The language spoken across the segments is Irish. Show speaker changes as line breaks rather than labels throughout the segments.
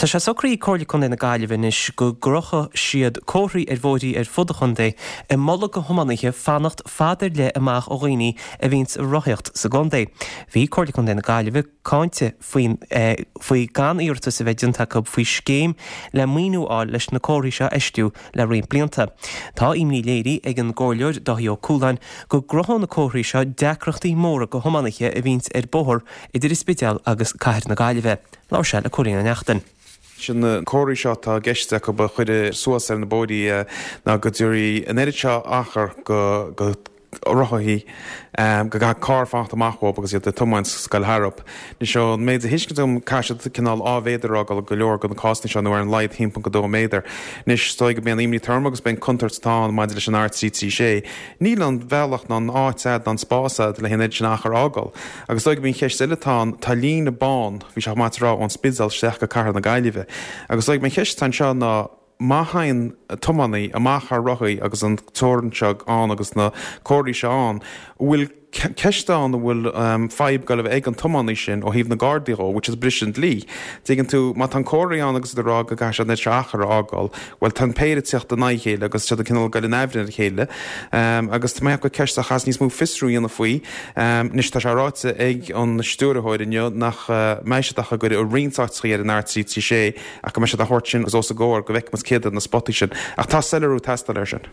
Tá sé socraithe ag Comhairle Contae na Gaillimhe anois go gcrochfaidh siad comharthaí ar bhóithrí ar fud an chontae ag moladh go thiománaithe fanacht fad ar leith amach ó dhaoine a bhíonns ag rothaíocht sa gcontae. Bhí Comhairle Contae na Gaillimhe cáinte faoin faoi gan iarratas a bheith déanta acu faoi scéim le maoiniú a fháil leis na comharthaí seo a fheistiú le roinnt blianta. Tá imní léirithe ag an gComhairleoir Dáithí Ó Cualáin go gcruthódh na comharthaí seo deacrachtaí móra go thiománaithe a bhíonns ar bóthar idir an Spidéal agus Cathair na Gaillimhe. Labhair sé le Cóilín Ó Neachtain.
Sin na comharthaí seo atá i gceist acu a chur suas ar na bóithrí ná go dtabharfaidh an oiread seo achar go rothaithe go gcaithfidh carr fanacht amach uathu agus iad ag tiomáint is ag goil tharab. Anois ón méid a thuiscint agam caithfidh siad cineál dhá mhéadar a fhágáil go leor de na cásanna seo nó ar an laghad 1.2 méadar. Anois is dóigh go b'é an imní atá orm agus b'é an contúirt atá ann maidir leis an R336. Níl an bhealach ná an áit a'd ná an spás a'd le an oiread sin achar a fhágáil. Agus is dóigh go b'é an cheist eile atá ann, tá líne bán, bhí sé chomh maith a rá, ón Spidéal isteach go Cathair na Gaillimhe. Agus is dóigh go b'é an cheist atá anseo ná, má thagann tiománaí amach thar rothaí agus an teorainn seo ann agus na comharthaí seo ann, an bhfuil ceist ann an bhfuil fadhb ag goil a bheith ag an tiománaí sin ó thaobh na Gardaí dhó, bhfuil siad ag briseadh an dlí. Tuigeann tú, má tá an comharthaí ann agus iad ag rá go gcaithfidh siad an oiread seo achar a fhágáil, bhuel tá an péire ag teacht in aghaidh a chéile agus siad ag cineál ag goil in aimhréidh ar a chéile. Agus tá mé ag ceapadh gur ceist a chaithfeas níos mó fiosrú a dhéanamh faoi. Anois tá sé ráite ag an stiúrthóir inniu nach mbeidh siad ach á gcur i roinnt áiteachaí ar an R336, Ach go mbeidh siad á thabhairt sin os a gcomhair go bhfeicfidh muid céard iad na spotaí sin. Ach tá soiléiriú ag teastáil air sin.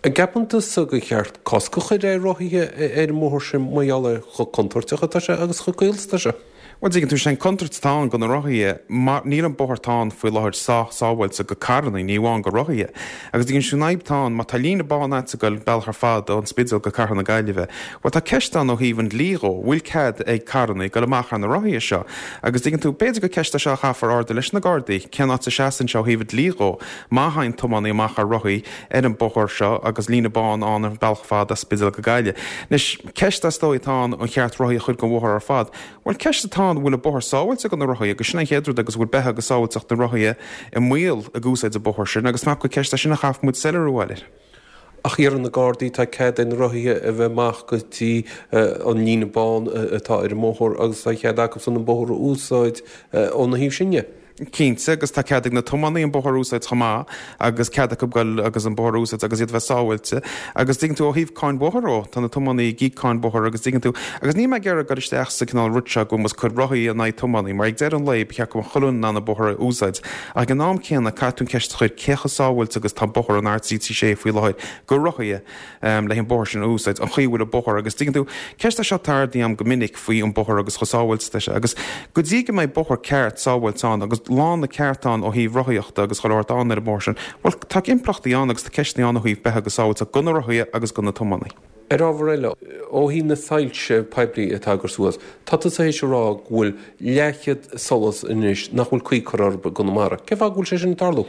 An gceapann tusa gur cheart cosc a chur ar rothaithe ar an mbóthar sin mar gheall ar chomh contúirteach atá sé agus chomh caol is atá sé?
Bhuel, tuigeann tú, sé an contúirt atá ann do na rothaithe, mar níl an bóthar atá ann faoi láthair sách sábháilte go carrannaí, ní amháin go rothaithe. Agus tuigeann tú an fhadhb atá ann, má tá líne bán a'd ag goil bealach ar fad ón Spidéal go Cathair na Gaillimhe, bhuel tá ceist ann ó thaobh an dlí dhó, bhfuil cead ag carrannaí goil amach thar na rothaithe seo? Agus tuigeann tú, b'fhéidir gur ceist é seo a chaithfear ardú leis na Gardaí, cén áit a seasann sé ó thaobh an dlí dhó, má thagann tiománaí amach ar rothaí ar an bóthar seo agus líne bán ann an bealach fada as Spidéal go Gaillimh. Anois, ceist is dóigh atá ann, an cheart rothaí a chur den bhóthar ar fad? Bhuel, ceist atá ann, an bhfuil an bóthar sábháilte do na rothaithe agus sin an chéad rud agus an bhfuil beatha agus sábháilteacht na rothaithe i mbaol ag úsáid an bóthar sin agus measaim gur ceist é sin a chaithfidh muid soiléiriú a fháil air.
Ach iarrann na Gardaí, tá cead ag na rothaithe a bheith amach go dtí an líne bán atá ar an mbóthar agus tá cead acusan an bóthar a úsáid óna thaobh sin
dhe. Cinnte, agus tá cead ag na tiománaí an bóthar a úsáid chomh maith agus cead acu goil agus an bóthar a úsáid agus iad a bheith sábháilte. Agus tuigeann tú ó thaobh cáin bhóthair dhó, tá na tiománaí ag íoc cáin bhóthair agus tuigeann tú, agus níl mé ag iarraidh goil isteach sa cineál rud seo go bhfuil muid ag cur rothaí in aghaidh tiománaí mar ag deireadh an lae ba cheart go mbeadh chuile dhuine in ann an bóthar a úsáid. Ach ag an am céanna, caithfidh tú an cheist a chur, cé chomh sábháilte agus atá bóthar an R336 faoi láthair go rothaithe le an bóthar sin a úsáid, an chaoi a bhfuil an bóthar agus tuigeann tú, ceist é seo atá ardaithe agam go minic faoi an bóthar agus chomh sábháilte atá sé agus go dtí go mbeidh bóthar ceart sábháilte ann agus lána ceart ann ó thaobh rothaíochta agus chuile shórt ann ar an mbóthar sin, bhuel tá impleachtaí ann agus tá ceisteanna ann ó thaobh beatha agus sábháilteacht go na rothaithe agus go na tiománaí.
Ar ábhar eile, ó thaobh na soilse poiblí atá á gcur suas, tá tusa théis a rá go bhfuil leathchéad solas anois nach bhfuil caoi curtha orthu i gConamara. Cén fáth go bhfuil sé sin ag tarlú?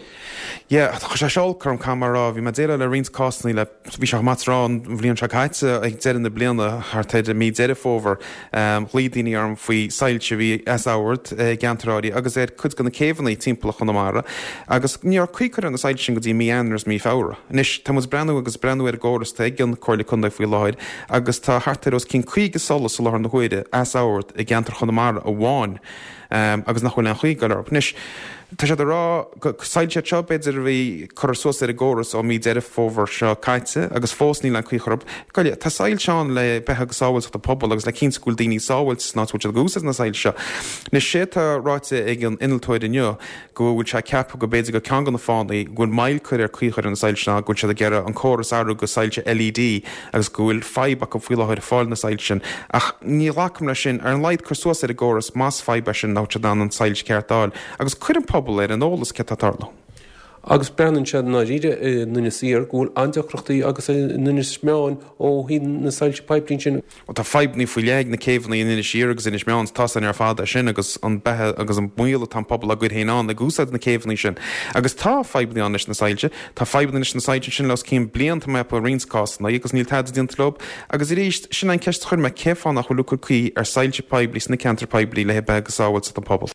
Yeah, chuir sé seo olc orm, caithfidh mé a rá. Bhí mé ag déileáil le roinnt cásanna le, bhí sé chomh maith tráth an bhliain seo caite, ag deireadh na bliana, thart ar mí Deireadh Fómhair, ghlaoigh daoine orm faoi soilse a bhí as ord i gceantair áirithe agus ar cuid de na céibheanna timpeall Chonamara agus ní raibh caoi curtha ar na soilse sin go dtí mí Eanáir agus mí Feabhra. Anois, tá muid ag breathnú agus ag breathnú ar an gcóras atá ag an Comhairle Contae faoi láthair agus tá thart ar os cionn 50 solas i láthair na huaire as ord i gceantar Chonamara amháin agus nach bhfuil aon chaoi ag goil orthu. Anois, tá siad ag rá gur soilse iad seo, b'fhéidir, a bhí curtha suas ar an gcóras ó mí Deireadh Fómhair seo caite agus fós níl aon chaoi curtha orthu. Tá soilse ann le beatha agus sábháilteacht an phobail agus le cinntiú go bhfuil daoine sábháilte san áit a bhfuil siad ag úsáid na soilse seo. Anois, sé atá ráite ag an innealtóir inniu, go bhfuil sé ceaptha go b'fhéidir gur ceann de na fáthanna go bhfuil moill curtha ar caoi a chur ar na soilse ná go bhfuil siad ag iarraidh an córas a athrú go soilse LED agus go bhfuil fadhb acu faoi láthair ag fáil na soilse sin. Ach ní ghlacaim leis sin. Ar an laghad cuir suas ar an gcóras más fadhb é sin nach bhfuil siad in ann an soilse ceart a fháil agus cuir an pobal ar an eolas céard atá ag tarlú.
Agus breathnaíonn sé i ndáiríre in Inis Oírr go bhfuil an-deacrachtaí agus in Inis Meáin ó thaobh na soilse poiblí ansin.
Bhuel, tá fadhbanna faoi leith ag na céibheanna in Inis Oírr agus Inis Meáin, tá a fhios againn ar fad é sin agus an beatha agus an baol atá an pobal á gcur féin ann ag úsáid na céibheanna sin. Agus tá fadhbanna ann leis na soilse. Tá fadhbanna leis na soilse ansin le os cionn bliain, tá mé ag ceapadh i roinnt cásanna, agus níl tada déanta leo. Agus arís, sin an ceist a chuir mé, cén fáth nach bhfuil ag cur caoi ar soilse poiblí sna ceantair poiblí le beatha agus sábháilteacht an pobail?